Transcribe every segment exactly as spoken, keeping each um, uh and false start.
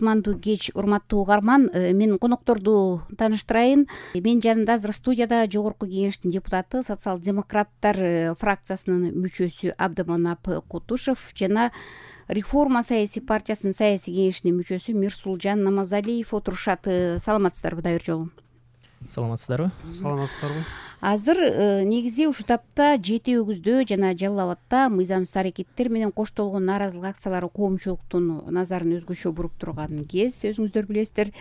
кутмандуу кеч, урматтуу угарман. Мен конокторду тааныштырайын. Мен жанымда азыр студияда Жогорку Кеңештин депутаты, социал-демократтар фракциясынын мүчөсү Абдыманап Кутушев жана Реформа саясий партиясынын саясий кеңешинин мүчөсү Мирсулжан Намазалиев отурушат. Саламатсыздарбы да бир жолу? Саламатсыздарбы? Саламатсыздарбы? Азыр негизи ушул тапта Жети Өгүздө жана Жалал Абадта мыйзамсыз аракеттер менен коштолгон нааразылык акциялары коомчулуктун назарын өзгөчө буруп турган кез. Өзүңүздөр билесиздер,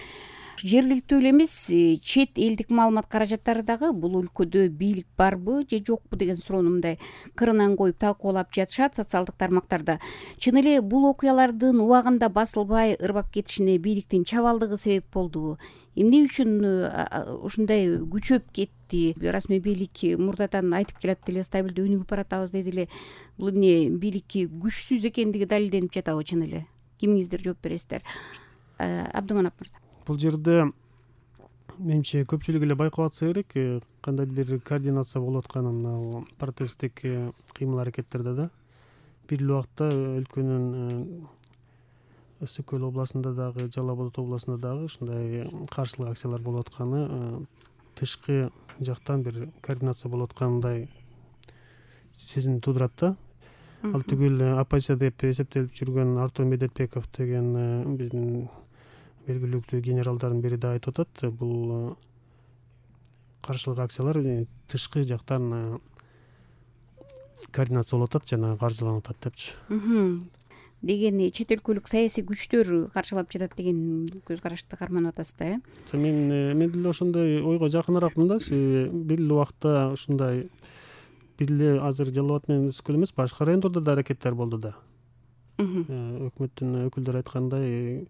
жергиликтүү эле эмес, чет элдик маалымат каражаттары дагы бул өлкөдө бийлик барбы же жокпу деген суроону мындай кырынан коюп талкуулап жатышат социалдык тармактарда. Чын эле бул окуялардын убагында басылбай ырбап кетишине бийликтин чабалдыгы себеп болдубу? Эмне үчүн ушундай күчөп кетти? Расмий бийлик мурдадан айтып келат деле, стабилдүү өнүгүп баратабыз деди эле. Бул эмне бийликки күчсүз экендиги далилденип жатабы чын эле? Кимиңиздер жооп бересиздер? Абдыманап мырза. Бул жерде менимче көпчүлүк эле байкап атса керек, кандайдыр бир координация болуп атканын мына протесттик кыймыл аракеттерде да. Бир эле убакта өлкөнүн Өс Өкөл областында дагы, Жалал Абад областында дагы ушундай каршылык акциялар болуп атканы тышкы жактан бир координация болуп аткандай сезим туудурат да. Ал түгүл оппозиция деп эсептелип жүргөн Артур Медетбеков деген биздин белгилүү генералдардын бири да айтып атат, бул каршылык акциялар тышкы жактан координация болуп атат жана каржыланып атат депчи. Деген чет өлкөлүк саясий күчтөр каршылап жатат деген көз карашты карманып атасыз да, э? Мен мен деле ошондой ойго жакыныракмын да. Бир эле убакта ушундай бир эле азыр Жалал Абад менен Өс Өкөл эмес, башка райондордо да аракеттер болду да. Өкмөттүн өкүлдөрү айткандай,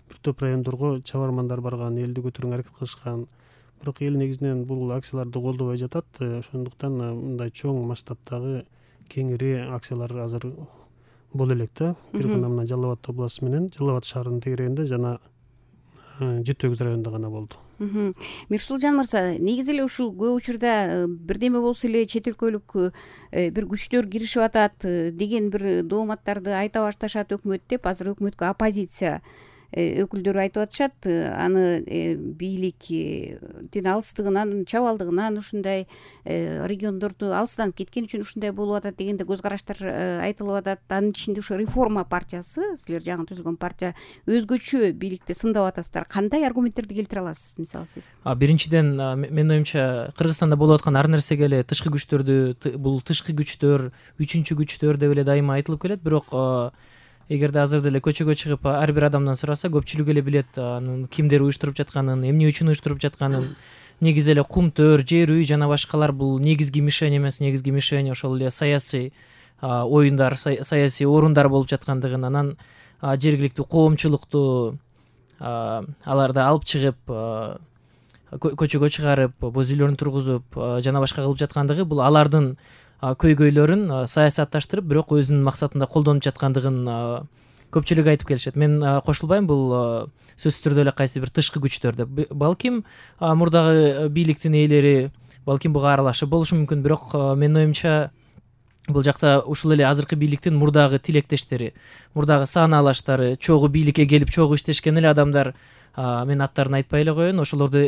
бир топ райондорго чабармандар барган, элди көтөрүүгө аракет кылышкан. Бирок эл негизинен бул акцияларды колдобой жатат. Ошондуктан мындай чоң масштабтагы кеңири акциялар азыр боло элек да. Бир гана мына Жалал Абад областы менен Жалал Абад шаарынын тегерегинде жана Жети Өгүз районунда гана болду. Мирсулжан мырза, негизи эле ушул көп учурда бирдеме болсо эле чет өлкөлүк бир күчтөр киришип атат деген бир дооматтарды айта башташат өкмөт деп, азыр өкмөткө оппозиция өкүлдөрү айтып атышат. Аны бийликтин алыстыгынан, чабалдыгынан, ушундай региондорду алыстан кеткен үчүн ушундай болуп атат дегенде көз караштар айтылып атат. Анын ичинде ошо Реформа партиясы, силер жаңы түзүлгөн партия, өзгөчө бийликти сындап атасыздар. Кандай аргументтерди келтире аласыз, мисалы сиз? Биринчиден, менин оюмча, Кыргызстанда болуп аткан ар нерсеге эле тышкы күчтөрдү, бул тышкы күчтөр, үчүнчү күчтөр деп эле дайыма айтылып келет. Бирок эгерде азыр деле көчөгө чыгып ар бир адамдан сураса, көпчүлүк эле билет анын кимдер уюштуруп жатканын, эмне үчүн уюштуруп жатканын. Негизи эле кумтөр, жер үй жана башкалар бул негизги мишень эмес, негизги мишень ошол эле саясий оюндар, саясий орундар болуп жаткандыгын, анан жергиликтүү коомчулукту аларды алып чыгып, көчөгө чыгарып, боз үйлөрүн тургузуп жана башка кылып жаткандыгы, бул алардын көйгөйлөрүн саясатташтырып, бирок өзүнүн максатында колдонуп жаткандыгын көпчүлүк айтып келишет. Мен кошулбайм, бул сөзсүз түрдө эле кайсы бир тышкы күчтөр деп. Балким мурдагы бийликтин ээлери, балким буга аралашып болушу мүмкүн, бирок менин оюмча бул жакта ушул эле азыркы бийликтин мурдагы тилектештери, мурдагы сааналаштары, чогуу бийликке келип чогуу иштешкен эле адамдар, мен аттарын айтпай эле коеюн, ошолорду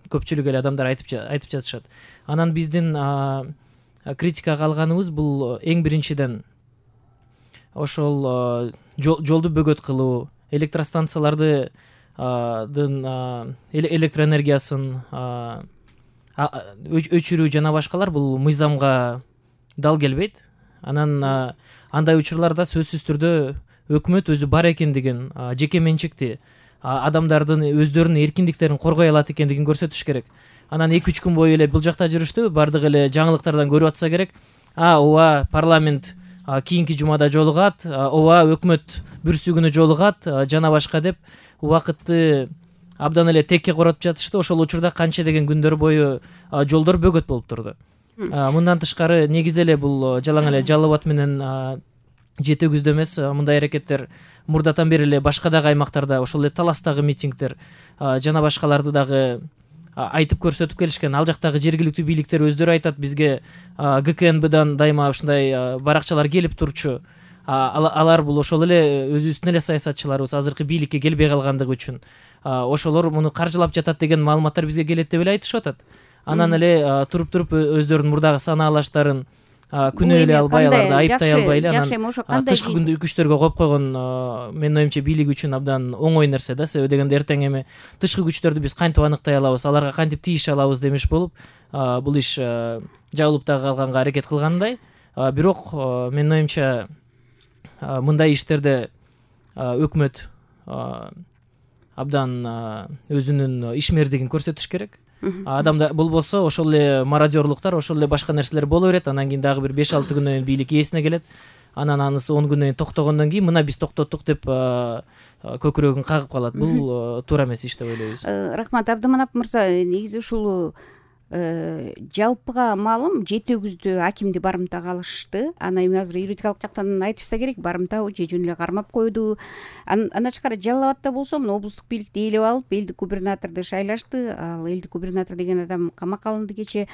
көпчүлүк эле адамдар айтып айтып жатышат. Анан биздин критикага алганыбыз бул эң биринчиден ошол жолду бөгөт кылуу, электростанцияларды электроэнергиясын өчүрүү жана башкалар бул мыйзамга дал келбейт. Анан андай учурларда сөзсүз түрдө өкмөт өзү бар экендигин, жеке менчикти, адамдардын өздөрүнүн эркиндиктерин коргой алат экендигин көрсөтүш керек. Анан эки үч күн бою эле бул жакта жүрүштү, бардык эле жаңылыктардан көрүп атса керек. А, ооба, парламент кийинки жумада жолугат, ооба, өкмөт бүрсү күнү жолугат жана башка деп убакытты абдан эле текке коротуп жатышты. Ошол учурда канча деген күндөр бою жолдор бөгөт болуп турду. Мындан тышкары негизи эле бул жалаң эле Жалал Абад менен Жети Өгүздө эмес, мындай аракеттер мурдатан бери эле башка дагы аймактарда, ошол эле Таластагы митингдер жана башкаларды дагы айтып көрсөтүп келишкен. Ал жактагы жергиликтүү бийликтер өздөрү айтат, бизге ГКНБдан дайыма ушундай баракчалар келип турчу. алар бул ошол эле өзүбүздүн эле саясатчыларыбыз азыркы бийликке келбей калгандыгы үчүн ошолор муну каржылап жатат деген маалыматтар бизге келет деп эле айтышып атат. Анан эле туруп туруп өздөрүнүн мурдагы санаалаштарын күнөө эле албай, аларды айыптай албай эле анан тышкы күчтөргө коюп койгон менин оюмча бийлик үчүн абдан оңой нерсе да. Себеби дегенде эртең эми тышкы күчтөрдү биз кантип аныктай алабыз, аларга кантип тийише алабыз демеш болуп бул иш жабылып дагы калганга аракет кылгандай. Бирок менин оюмча мындай иштерде өкмөт абдан өзүнүн ишмердигин көрсөтүш керек. Адамда болбосо ошол эле мародёрлуктар, ошол эле башка нерселер боло берет. Анан кийин дагы бир беш алты күндөн кийин бийлик ээсине келет. Анан анысы он күндөн кийин токтогондон кийин мына биз токтоттук деп көкүрөгүн кагып калат. Бул туура эмес иш деп ойлойбуз. Рахмат Абдыманап мырза. Негизи ушул жалпыга маалым жети өгүздү акимди барымтага алышты. Анан эми азыр юридикалык жактан айтышса керек, барымтабы же жөн эле кармап койду. Андан тышкары Жалал Абадта болсо мына облустук бийликти ээлеп алып, элдик губернаторду шайлашты. Ал элдик губернатор деген адам камакка алынды кече.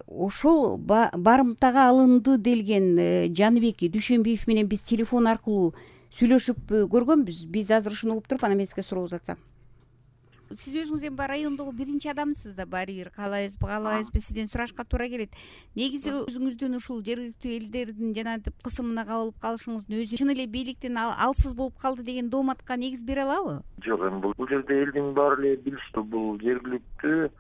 Ошол барымтага алынды делген Жаныбек Дүйшөнбиев менен биз телефон аркылуу сүйлөшүп көргөнбүз. Биз азыр ушуну угуп туруп анан мен сизге суроо узатсам. Сиз өзүңүз эми райондогу биринчи адамсыз да, баары бир каалайбызбы каалабайбызбы сизден сурашка туура келет. Негизи өзүңүздүн ушул жергиликтүү элдердин жанагынтип кысымына кабылып калышыңыздын өзү чын эле бийликтен алсыз болуп калды деген дооматка негиз бере алабы? Жок, эми бул жерде элдин баары эле билишти. Бул жергиликтүү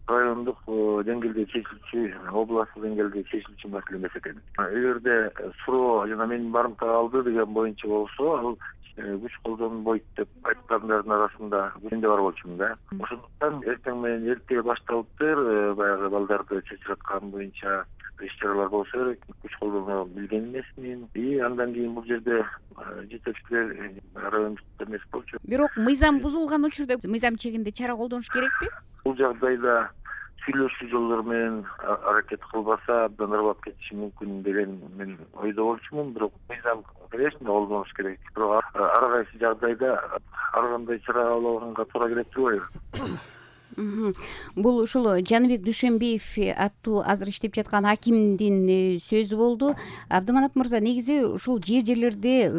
райондук деңгээлде чечилчү, областтык деңгээлде чечилчү маселе эмес экен. Эгерде суроо жана менин барымтага алды деген боюнча болсо, ал күч колдонбойт деп айткандардын арасында мен да бар болчумун да. Ошондуктан эртең менен эрте башталыптыр, баягы балдарды чечираткан боюнча иш-чаралар болсо керек. Күч колдоно билген эмесмин. И андан кийин бул жерде жетекчилер райондук эмес болчу. Бирок мыйзам бузулган учурда мыйзам чегинде чара колдонуш керекпи? Бул жагдайда сүйлөшүү жолдору менен аракет кылбаса абдан ырбап кетиши мүмкүн деген мен ойдо болчумун. Бирок мыйзам конечно колдонуш керек. Бирок ар кайсы жагдайда ар кандай чара алганга туура келет деп ойлойм. Бул ушул Жаныбек Дүйшөнбиев аттуу азыр иштеп жаткан акимдин сөзү болду. Абдыманап мырза, негизи ушул жер жерлерде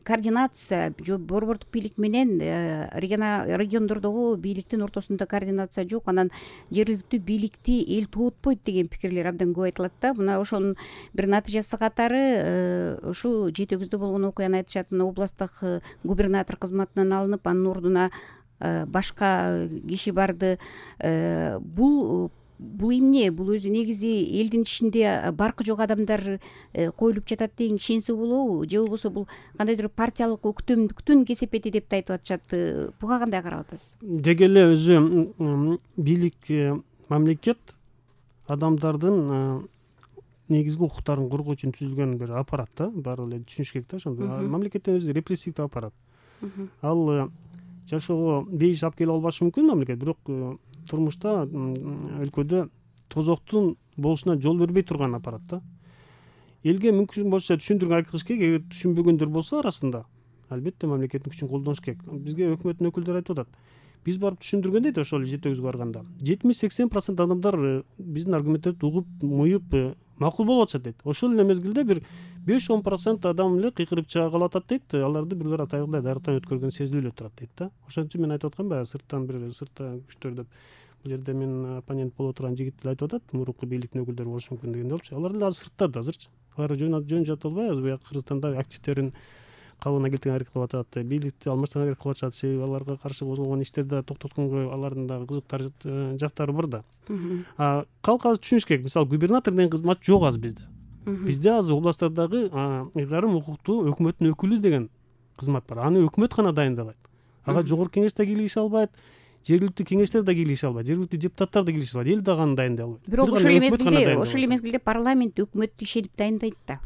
координация жок, борбордук бийлик менен региондордогу бийликтин ортосунда координация жок. Анан жергиликтүү бийликти эл туутпойт деген пикирлер абдан көп айтылат да. Мына ошонун бир натыйжасы катары ушул жети өгүздө болгон окуяны айтышат. Областтык губернатор кызматынан алынып, анын ордуна башка киши барды. Бул бул эмне? Бул өзү негизи элдин ичинде баркы жок адамдар коюлуп жатат деген ишенсе болобу? Же болбосо бул кандайдыр партиялык өктөмдүктүн кесепети деп да айтып атышат. Буга кандай карап атасыз? Деги эле өзү бийлик, мамлекет адамдардын негизги укуктарын коргоо үчүн түзүлгөн бир аппарат да. Баары эле түшүнүш керек да ошондо. Мамлекеттин өзү репрессивдүү аппарат. Ал жашоого бейиш алып келе албашы мүмкүн мамлекет, бирок турмушта өлкөдө тозоктун болушуна жол бербей турган аппарат да. Элге мүмкүн болсо түшүндүрүүгө аракет кылыш керек. Эгер түшүнбөгөндөр болсо арасында, албетте мамлекеттин күчүн колдонуш керек. Бизге өкмөттүн өкүлдөрү айтып атат. Биз барып түшүндүргөн дейт ошол жети өгүзгө барганда. жетимиш сексен процент адамдар биздин аргументтерди угуп, муюп макул болуп атышат дейт. Ошол эле мезгилде бир беш он процент адам эле кыйкырып чыга калып атат дейт. Аларды бирлер атайгындай дарыктан өткөргөн сезилип эле турат дейт да. Ошон үчүн мен айтып аткам баягы сырттан бир сыртта күчтөр деп. Бул жерде мен оппонент боло турган жигит эле айтып атат, мурунку бийликтин өкүлдөрү болушу мүмкүн дегенде болчу. Алар эле азыр сыртта да азырчы. Алар жөн жөн жата албай азыр бияка Кыргызстанда активдерин кабылына келтирген аракет кылып атат. Бийликти алмаштырган аракет кылып атышат. Себеби аларга каршы козголгон иштерди токтотконго алардын дагы кызыктар жактары бар да. Калк азыр түшүнүш керек. Мисалы губернатор деген кызмат жок азыр бизде. Бизде азыр областтардагы ыйгарым укуктуу өкмөттүн өкүлү деген кызмат бар. Аны өкмөт гана дайындалат. Ага жогорку кеңеш да кийлигише албайт, жергиликтүү кеңештер да кийлигише албайт, жергиликтүү депутаттар да кийлигише албайт, эл дагы аны дайындай албайт. Бирок ошол мезгилде, ошол мезгилде парламент өкмөттү ишенип дайындайт да,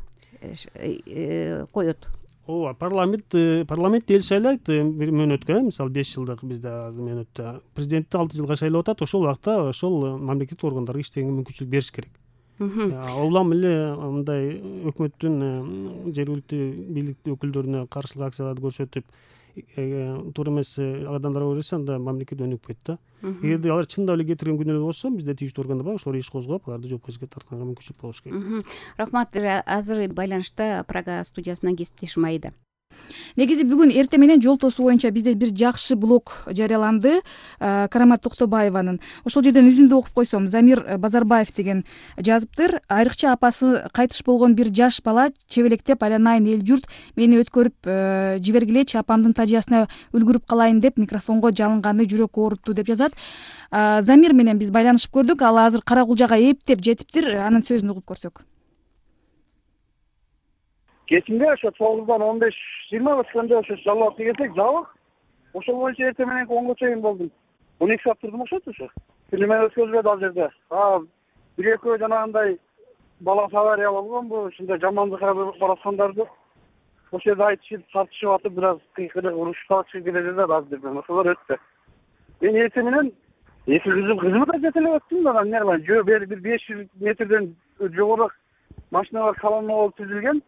коет. Ооба, парламент парламент эл шайлайт бир мөөнөткө, мисалы беш жылдык бизде мөөнөттө президентти алты жылга шайлап атат. Ошол убакта ошол мамлекеттик органдарга иштегенге мүмкүнчүлүк бериш керек. Улам эле мындай өкмөттүн жергиликтүү бийликтүү өкүлдөрүнө каршылык акцияларды көрсөтүп, туура эмес адамдарга берсе анда мамлекет өнүгүп кетет да. Эгерде алар чындап эле кетирген күнөөлөр болсо бизде тийиштүү органдар бар, ошолор иш козгоп аларды жоопкерчиликке тартканга мүмкүнчүлүк болуш керек. Рахмат. Азыр байланышта Прага студиясынан кесиптешим Айда. Негизи бүгүн эртең менен жол тосуу боюнча бизде бир жакшы блог жарыяланды Карамат Токтобаеванын. Ошол жерден үзүндү окуп койсом, Замир Базарбаев деген жазыптыр. Айрыкча апасы кайтыш болгон бир жаш бала чебелектеп айланайын эл журт мени өткөрүп жибергилечи, апамдын тажыясына үлгүрүп калайын деп микрофонго жалынганы жүрөк оорутtu деп жазат. Замир менен биз байланышып көрдүк. Ал азыр Карагулжага эптеп жетиптир. Анын сөзүн угуп көрсөк. Кечинде ошо тогуздан он беш жыйырма өткөндө ошо жалал атты келсек жабык. Ошол боюнча эртең менен онго чейин болдум. он эки саат турдум окшойт ошо. Күнү менен өткөзбөдү ал жерде. А бир экөө жанагындай бала авария болгонбу, ушундай жамандыкка бараткандарды ошол жерде айтышып, тартышып атып, бир аз кыйкырып, урушуп чыгып кетет да азырдан. Ошолор өттү. Мен эртең менен эки кызым кызымды жете эле өттүм да, эмне кылайын? Жөө бери бир беш жүз метрден жогору машиналар колонна болуп түзүлгөн.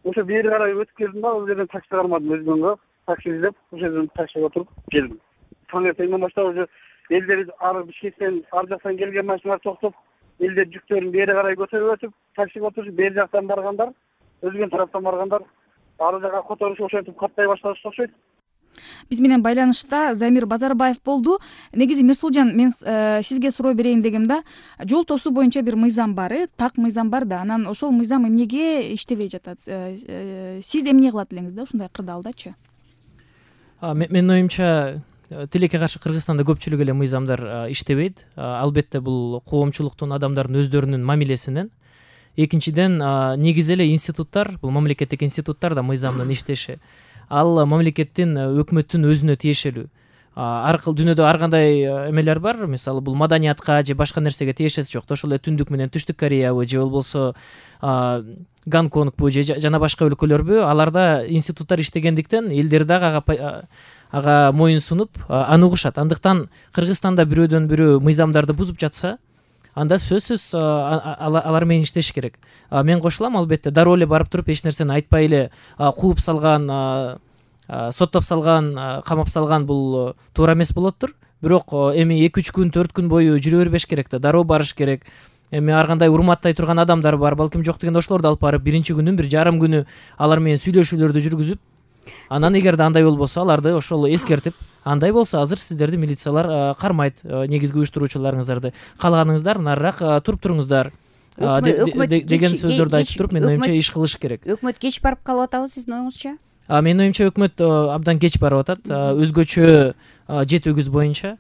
Ошо бери карай өтүп келдим да, ал жерден такси кармадым өзүмгө. Такси издеп, ошол жерден таксиге отуруп келдим. Таң эртеңден баштап уже элдер ары Бишкектен, ар жактан келген машиналар токтоп, элдер жүктөрүн бери карай көтөрүп өтүп, таксиге отуруп, бери жактан баргандар, өзгөн тараптан баргандар ары жака которушуп ошентип каттай башташты окшойт. Биз менен байланышта Замир Базарбаев болду. Негизи Мирсулжан, мен сизге суроо берейин дегем да. Жол тосуу боюнча бир мыйзам бар, так мыйзам бар да. Анан ошол мыйзам эмнеге иштебей жатат? Сиз эмне кылат элеңиз да ушундай кырдаалдачы? Менин оюмча, тилекке каршы Кыргызстанда көпчүлүк эле мыйзамдар иштебейт. Албетте бул коомчулуктун, адамдардын өздөрүнүн мамилесинен. Экинчиден, негизи эле институттар, бул мамлекеттик институттар да мыйзамдын иштеши. Ал мамлекеттин, өкмөттүн өзүнө тиешелүү. Ар кыл дүйнөдө ар кандай эмелер бар. Мисалы бул маданиятка же башка нерсеге тиешеси жок. Ошол эле Түндүк менен Түштүк Кореябы же болбосо Гонконгбу же жана башка өлкөлөрбү, аларда институттар иштегендиктен элдер дагы ага ага моюн сунуп аны угушат. Андыктан Кыргызстанда бирөөдөн бирөө мыйзамдарды бузуп жатса, анда сөзсүз алар менен иштеш керек. Мен кошулам, албетте дароо эле барып туруп эч нерсени айтпай эле кууп салган, соттоп салган, камап салган бул туура эмес болоттур. Бирок эми эки үч күн, төрт күн бою жүрө бербеш керек да, дароо барыш керек. Эми ар кандай урматтай турган адамдар бар, балким жок дегенде ошолорду алып барып, биринчи күнүн бир жарым күнү алар менен сүйлөшүүлөрдү жүргүзүп, анан эгерде андай болбосо, аларды ошол эскертип, андай болсо азыр сиздерди милициялар кармайт, негизги уюштуруучуларыңыздарды. Калганыңыздар нарыраак туруп туруңуздар деген сөздөрдү айтып туруп, менин оюмча иш кылыш керек. Өкмөт кеч барып калып атабы сиздин оюңузча? Менин оюмча өкмөт абдан кеч барып атат. Өзгөчө жети-өгүз боюнча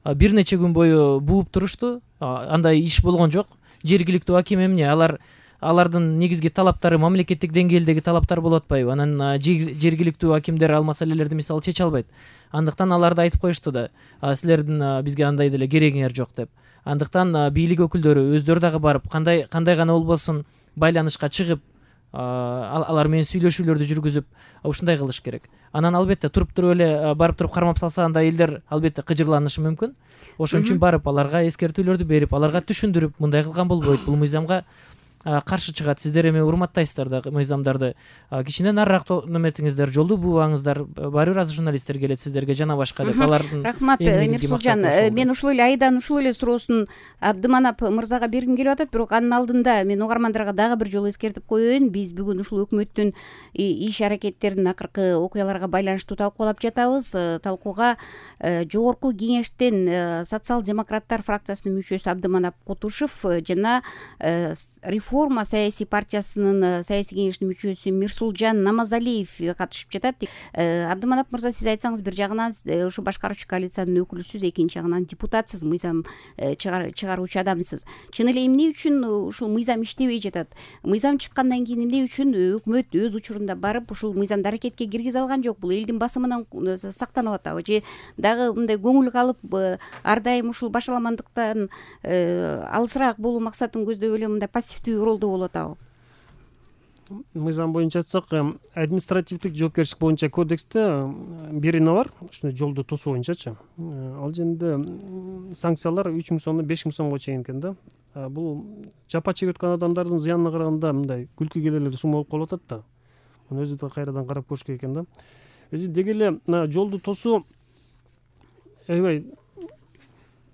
бир нече күн бою бууп турушту. Андай иш болгон жок. Жергиликтүү аким эмне, алар алардын негизги талаптары мамлекеттик деңгээлдеги талаптар болуп атпайбы? Анан жергиликтүү акимдер ал маселелерди мисалы чече албайт. Андыктан аларды айтып коюшту да, силердин бизге андай деле керегиңер жок деп. Андыктан бийлик өкүлдөрү өздөрү дагы барып, кандай кандай гана болбосун байланышка чыгып, алар менен сүйлөшүүлөрдү жүргүзүп, ушундай кылыш керек. Анан албетте туруп туруп эле барып туруп кармап салса, анда элдер албетте кыжырланышы мүмкүн. Ошон үчүн барып аларга эскертүүлөрдү берип, аларга түшүндүрүп, мындай кылган болбойт, бул мыйзамга каршы чыгат. Сиздер эми урматтайсыздар да мыйзамдарды. Кичине нарыраак неметиңиздер, жолду буубаңыздар. Баары бир аз журналисттер келет сиздерге жана башка деп. Алардын рахмат, Мирсулжан. Мен ушул эле Айданын ушул эле суроосун Абдыманап мырзага бергим келип атат, бирок анын алдында мен угармандарга дагы бир жолу эскертип коеюн. Биз бүгүн ушул өкмөттүн иш аракеттерин акыркы окуяларга байланыштуу талкуулап жатабыз. Талкууга жогорку кеңештен социал-демократтар фракциясынын мүчөсү Абдыманап Кутушев жана Реформа саясий партиясынын саясий кеңешинин мүчөсү Мирсулжан Намазалиев катышып жатат. Абдыманап мырза, сиз айтсаңыз, бир жагынан ушу башкаруучу коалициянын өкүлүсүз, экинчи жагынан депутатсыз, мыйзам чыгаруучу адамсыз. Чын эле эмне үчүн ушул мыйзам иштебей жатат? Мыйзам чыккандан кийин эмне үчүн өкмөт өз учурунда барып ушул мыйзамды аракетке киргизе алган жок? Бул элдин басымынан сактанып атабы же дагы мындай көңүл калып, ар дайым ушул башаламандыктан алысыраак болуу максатын көздөп эле мындай пассивдүү ролдо болуп атабы? Мыйзам боюнча айтсак, административдик жоопкерчилик боюнча кодексте бир эне бар, ушундай жолду тосуу боюнчачы. Ал жерде санкциялар үч миң сомдон беш миң сомго чейин экен да. Бул жапа чегип аткан адамдардын зыянына караганда мындай күлкү келерлик сумма болуп калып атат да. Муну өзү да кайрадан карап көрүш керек экен да. өзү деги эле мына жолду тосуу аябай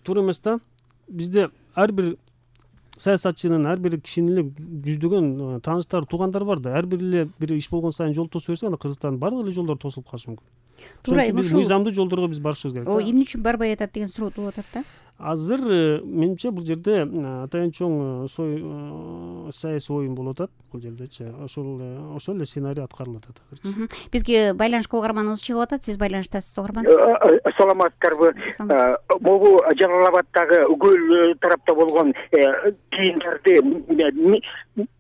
туура эмес да. Бизде ар бир саясатчынын, ар бир кишинин эле жүздөгөн тааныштары, туугандары бар да. Ар бир эле бир иш болгон сайын жол тосуп берсе, анда Кыргызстандын баардык эле жолдору тосулуп калышы мүмкүн. Туура Ошон үчүн биз мыйзамдуу жолдорго биз барышыбыз керек. Эмне үчүн барбай атат деген суроо туулуп атат да. Азыр менимче бул жерде атайын чоң саясий оюн болуп атат бул жердечи. Ошол ошол эле сценарий аткарылып атат азырчы. Бизге байланышка угарманыбыз чыгып атат. Сиз байланыштасыз, угарман. Саламатсыздарбы? Могу Жалал Абаддагы Үгөл тарапта болгон кийимдерди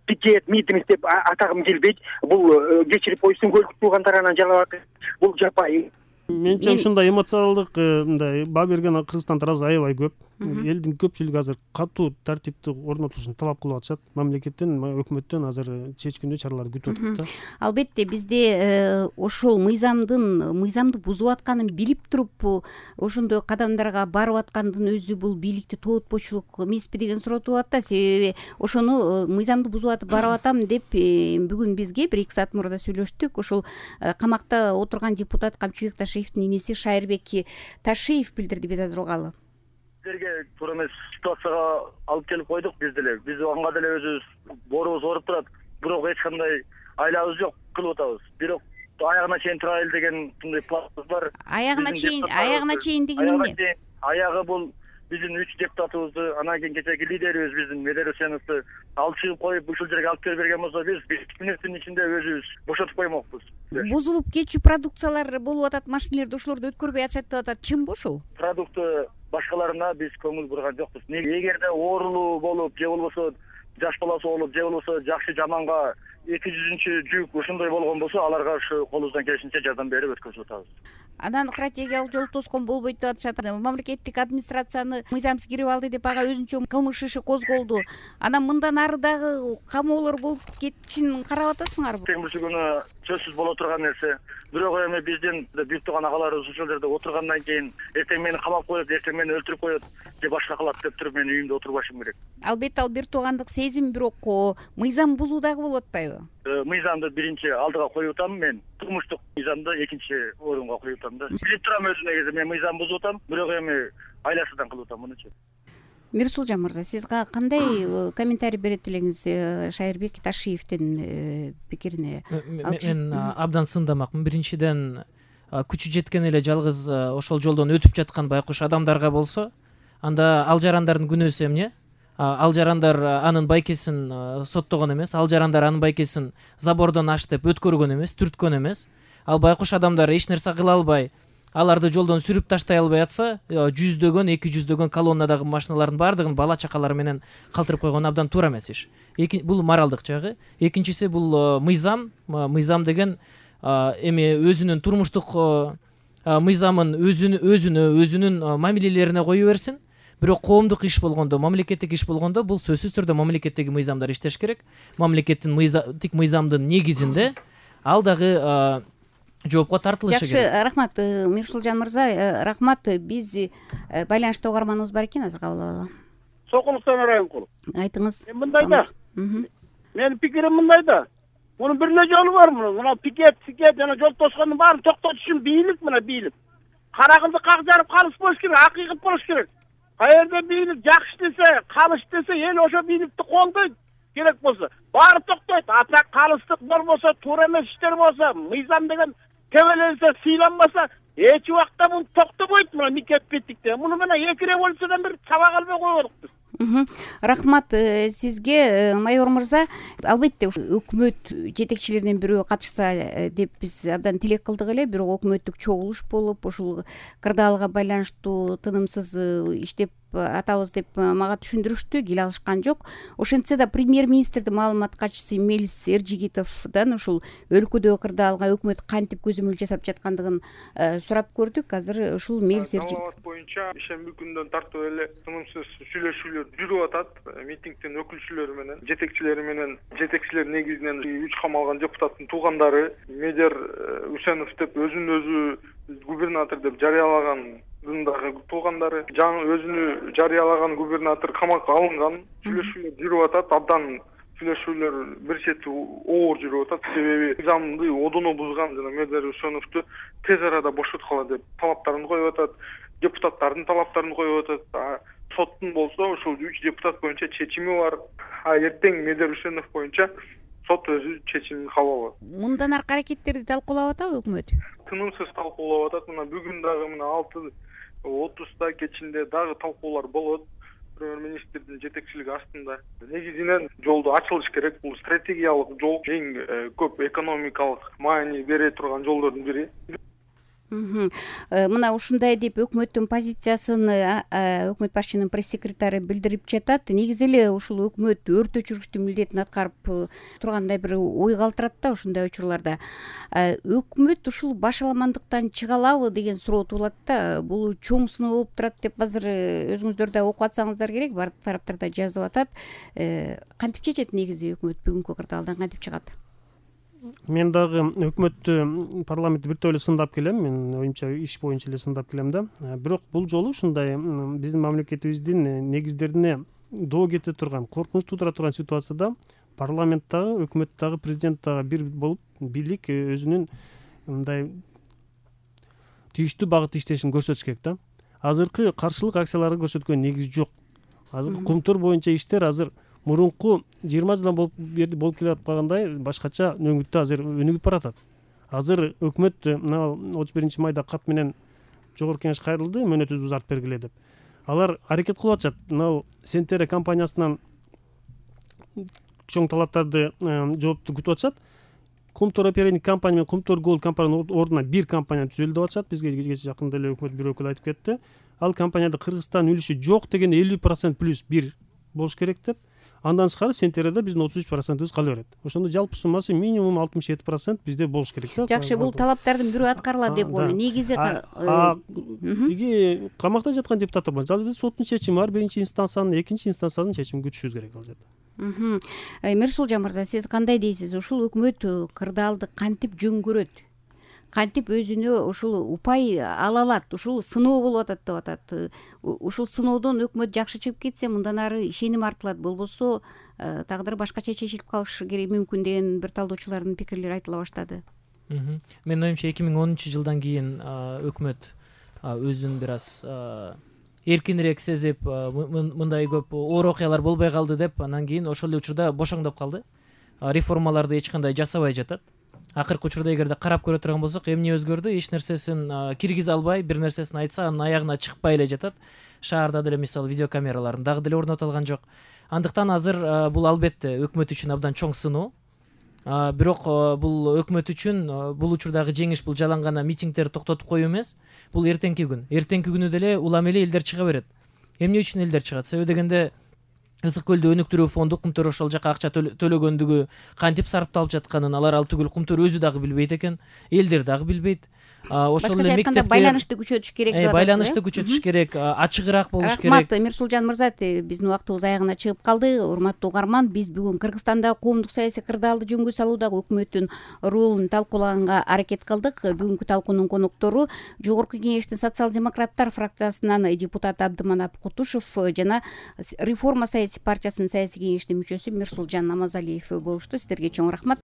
пикет, митинг деп атагым келбейт. Бул кечирип койсун, көлдүк туугандар анан Жалал Абад бул жапайы. Менимче ушундай эмоциялык мындай баа берген Кыргызстан таразы аябай көп. Элдин көпчүлүгү азыр катуу тартипти орнотушун талап кылып атышат. Мамлекеттен, өкмөттөн азыр чечкиндүү чараларды күтүп атат да. Албетте бизде ошол мыйзамдын мыйзамды бузуп атканын билип туруп, ошондой кадамдарга барып аткандын өзү бул бийликти тоотпочулук эмеспи деген суроо туулат да. Себеби ошону мыйзамды бузуп атып барып атам деп бүгүн бизге бир эки саат мурда сүйлөштүк. Ошол камакта отурган депутат Камчыбек Ташиевдин инеси Шайырбек Ташиев билдирди биз азыр угалы. Силерге туура эмес ситуацияга алып келип койдук биз деле. Биз анга деле өзүбүз боорубуз ооруп турат. Бирок эч кандай айлабыз жок, кылып атабыз. Бирок аягына чейин турайлы деген мындай планыбыз бар. Аягына чейин, аягына чейин деген эмне? Аягы бул биздин үч депутатыбызды, анан кийин кечээки лидерибиз биздин Медер Усеновду алып чыгып коюп ушул жерге алып келип берген болсо, биз бир мүнөттүн ичинде өзүбүз бошотуп коймокпуз. Бузулуп кетчү продукциялар болуп атат, машинелерди ошолорду өткөрбөй атышат деп атат. Чынбы ушул? Продукты башкаларына биз көңүл бурган жокпуз. Эгерде оорулуу болуп, же болбосо жаш баласы болуп, же болбосо жакшы жаманга эки жүзүнчү жүк ушундай болгон болсо, аларга ушу колубуздан келишинче жардам берип өткөзүп атабыз. Анан стратегиялык жол тоскон болбойт деп атышат. Мамлекеттик администрацияны мыйзамсыз кирип алды деп ага өзүнчө кылмыш иши козголду. Анан мындан ары дагы камоолор болуп кетишин карап атасыңарбы? Бүгүнкү күнү сөзсүз боло турган нерсе. Бирок эми биздин büyük тууган агаларыбыз ушул жерде отургандан кийин эртең мени камап коет, эртең мени өлтүрүп коет, же башка кылат деп туруп мен үйүмдө отурбашым керек. Албетте ал бир туугандык сезим, бирок мыйзам бузуу дагы болуп атпайбы? Мыйзамды биринчи алдыга коюп атам мен. Турмуштук мыйзамды экинчи орунга коюп атам да. Билип турам өзү негизи мен мыйзам бузуп атам, бирок эми айласыздан кылып атам мунучу. Мирсулжан мырза, сиз кандай комментарий берет элеңиз Шайырбек Ташиевдин пикирине? Мен абдан сындамакмын. Биринчиден күчү жеткен эле жалгыз ошол жолдон өтүп жаткан байкуш адамдарга болсо, анда ал жарандардын күнөөсү эмне? Ал жарандар анын байкесин соттогон эмес, ал жарандар анын байкесин забордон аш деп өткөргөн эмес, түрткөн эмес. Ал байкуш адамдар эч нерсе кыла албай, аларды жолдон сүрүп таштай албай атса, жүздөгөн, эки жүздөгөн колоннадагы машиналардын баардыгын бала чакалары менен калтырып койгон абдан туура эмес иш. Бул моралдык жагы. Экинчиси бул мыйзам. Мыйзам деген эми өзүнүн турмуштук мыйзамын өзүнө өзүнө өзүнүн мамилелерине кое берсин. Бирок коомдук иш болгондо, мамлекеттик иш болгондо бул сөзсүз түрдө мамлекеттеги мыйзамдар иштеш керек. Мамлекеттин мыйзамдык мыйзамдын негизинде ал дагы жоопко тартылышы керек. Жакшы, рахмат Мирсулжан мырза, рахмат. Биз байланышта угарманыбыз бар экен, азыр кабыл алалы. Сокулуктан Райымкул. Айтыңыз. Мындай да. Менин пикирим мындай да. Мунун бир эле жолу бар мунун. Мына пикет, пикет жана жол тоскондун баарын токтотуш үчүн бийлик, мына бийлик. Кара кылды как жарып калыш болуш керек, акыйкат болуш керек. Каерде бийлик жакшы десе, калыш десе, эл ошо бийликти колдойт. Керек болсо, баары токтойт. Ата калыстык болбосо, туура эмес иштер болсо, мыйзам деген тебеленсе, сыйланбаса, эч убакта бул токтобойт. Мына никет биттикте. Муну менен эки революциядан бир сабак албай койдук биз. Рахмат сизге, майор мырза. Албетте өкмөт жетекчилеринин бирөө катышса деп биз абдан тилек кылдык эле, бирок өкмөттүк чогулуш болуп, ушул кырдаалга байланыштуу тынымсыз иштеп атабыз деп мага түшүндүрүштү, кел алышкан жок. Ошентсе да премьер-министрдин маалымат катчысы Мелис Эржигитовдон ушул өлкөдөгү кырдаалга өкмөт кантип көзөмөл жасап жаткандыгын сурап көрдүк. Азыр ушул Мелис Эржигитов боюнча ишемби күндөн тартып эле тынымсыз сүйлөшүүлөр жүрүп атат. Митингдин өкүлчүлөрү менен, жетекчилери менен, жетекчилер негизинен үч камалган депутаттын туугандары, Медер Усенов деп өзүн өзү губернатор деп жарыялаган дагы туугандары, жаңы өзүнү жарыялаган губернатор камакка алынган, сүйлөшүүлөр жүрүп атат. Абдан сүйлөшүүлөр бир чети оор жүрүп атат. Себеби мыйзамды одоно бузган жана мэрдер Үсөновду тез арада бошоткула деп талаптарын коюп атат. Депутаттардын талаптарын коюп атат. Соттун болсо ушул үч депутат боюнча чечими бар. А эртең мэрдер Үсөнов боюнча сот өзү чечимин кабыл алат. Мындан аркы аракеттерди талкуулап атабы өкмөт? Тынымсыз талкуулап атат. Мына бүгүн дагы мына алты отузда кечинде дагы талкуулар болот. Премьер-министрдин жетекчилиги астында негизинен жолду ачылыш керек. Бул стратегиялык жол, эң көп экономикалык маани бере турган жолдордун бири. Мына ушундай деп өкмөттүн позициясын өкмөт башчынын пресс-секретары билдирип жатат. Негизи эле ушул өкмөт өрт өчүргүчтүн милдетин аткарып тургандай бир ой калтырат да ушундай учурларда. Өкмөт ушул башаламандыктан чыга алабы деген суроо туулат да. Бул чоң сыноо болуп турат деп азыр өзүңүздөр да окуп атсаңыздар керек. Бардык тараптар да жазып атат. Кантип чечет негизи өкмөт бүгүнкү кырдаалдан кантип чыгат? Мен дагы өкмөттү парламентти бир топ эле сындап келем. Мен оюмча иш боюнча эле сындап келем да. Бирок бул жолу ушундай биздин мамлекетибиздин негиздерине доо кете турган, коркунуч туудура турган ситуацияда парламент дагы, өкмөт дагы, президент дагы бир болуп бийлик өзүнүн мындай тийиштүү багытта иштешин көрсөтүш керек да. Азыркы каршылык акцияларга көрсөткөн негиз жок. Азыр Кумтур боюнча иштер азыр мурунку жыйырма жылдан болуп болуп келе аткандай башкача өңүттө азыр өнүгүп баратат. Азыр өкмөт мына отуз биринчи майда кат менен жогорку кеңеш кайрылды, мөөнөтүбүздү узартып бергиле деп. Алар аракет кылып атышат. Мына Сентере компаниясынан чоң талаптарды жоопту күтүп атышат. Кумтур оперативдик компания менен Кумтур Голд компаниянын ордуна бир компания түзөлдү деп атышат. Бизге кечээ жакында эле өкмөт бир өкүлү айтып кетти. Ал компанияда Кыргызстан үлүшү жок деген элүү процент плюс бир болуш керек деп. Андан тышкары Сентереде биздин отуз үч процентибиз кала берет. Ошондо жалпы суммасы минимум алтымыш жети процент бизде болуш керек да. Жакшы, бул талаптардын бирөө аткарылат деп коеюн. Негизи тиги камакта жаткан депутаттар бар. Жалпы соттун чечими бар, биринчи инстанциянын, экинчи инстанциянын чечимин күтүшүбүз керек ал жерде. Мирсулжан мырза, сиз кандай дейсиз? Ушул өкмөт кырдаалды кантип жөн көрөт? Кантип өзүнө ушул упай ала алат? Ушул сыноо болуп атат деп атат. Ушул сыноодон өкмөт жакшы чыгып кетсе, мындан ары ишеним артылат. Болбосо тагдыры башкача чечилип калышы керек мүмкүн деген бир талдоочулардын пикирлери айтыла баштады. Менин оюмча эки миң онунчу жылдан кийин өкмөт өзүн бир аз эркинирээк сезип, мындай көп оор окуялар болбой калды деп, анан кийин ошол эле учурда бошоңдоп калды. Реформаларды эч кандай жасабай жатат. Акыркы учурда эгерде карап көрө турган болсок, эмне өзгөрдү? Эч нерсесин киргизе албай, бир нерсесин айтса, анын аягына чыкпай эле жатат. Шаарда деле мисалы видеокамераларын дагы деле орнотулган жок. Андыктан азыр бул албетте өкмөт үчүн абдан чоң сыноо. Бирок бул өкмөт үчүн бул учурдагы жеңиш бул жалаң гана митингтерди токтотуп коюу эмес. Бул эртеңки күн. Эртеңки күнү деле улам эле элдер чыга берет. Эмне үчүн элдер чыгат? Себеби дегенде Ысык көлдү өнүктүрүү фонду Кумтур ошол жака акча төлөгөндүгү, кантип сарпталып жатканын алар ал түгүл Кумтур өзү дагы билбейт экен, элдер дагы билбейт. Ошол эле мектептер байланышты күчөтүш керек деп атасыз. Байланышты күчөтүш керек, ачыгыраак болуш керек. Рахмат, Мирсулжан мырза, биздин убактыбыз аягына чыгып калды. Урматтуу угарман, биз бүгүн Кыргызстанда коомдук саясий кырдаалды жөнгө салуудагы өкмөттүн ролун талкуулаганга аракет кылдык. Бүгүнкү талкуунун коноктору Жогорку Кеңештин социал-демократтар фракциясынан депутат Абдыманап Кутушев жана Реформа саясий партиясынын саясий кеңешинин мүчөсү Мирсулжан Намазалиев болушту. Сиздерге чоң рахмат.